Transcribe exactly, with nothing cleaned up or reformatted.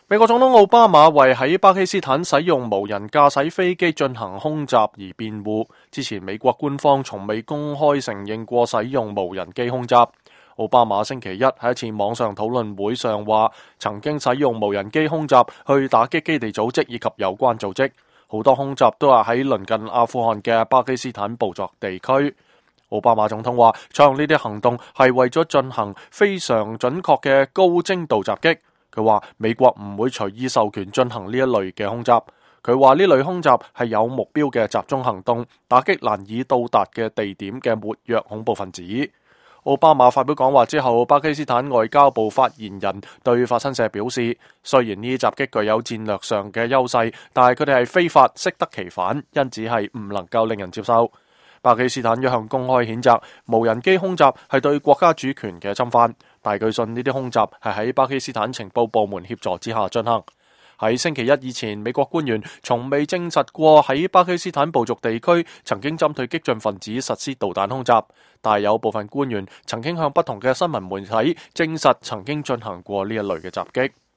美國總統奧巴馬為喺巴基斯坦使用無人駕駛飛機進行空襲而辯護。之前美國官方從未公開承認過使用無人機空襲。奧巴馬星期一喺一次網上討論會上話，曾經使用無人機空襲去打擊基地組織以及有關組織。好多空襲都係喺鄰近阿富汗嘅巴基斯坦部族地區。奧巴馬總統話，採用呢啲行動係為咗進行非常準確嘅高精度襲擊。佢話美國唔會隨意授權進行呢一類嘅空襲。佢話呢類空襲係有目標嘅集中行動，打擊難以到達嘅地點嘅活躍恐怖分子。奧巴馬發表講話之後，巴基斯坦外交部發言人對法新社表示，雖然呢啲襲擊具有戰略上嘅優勢，但係佢哋係非法，適得其反，因此係唔能夠令人接受。巴基斯坦一向公開譴責無人機空襲係對國家主權嘅侵犯，但據信呢啲空襲係喺巴基斯坦情報部門協助之下進行。喺星期一以前，美國官員從未證實過喺巴基斯坦部族地區曾經針對激進分子實施導彈空襲，但係有部分官員曾經向不同嘅新聞媒體證實曾經進行過呢一類嘅襲擊。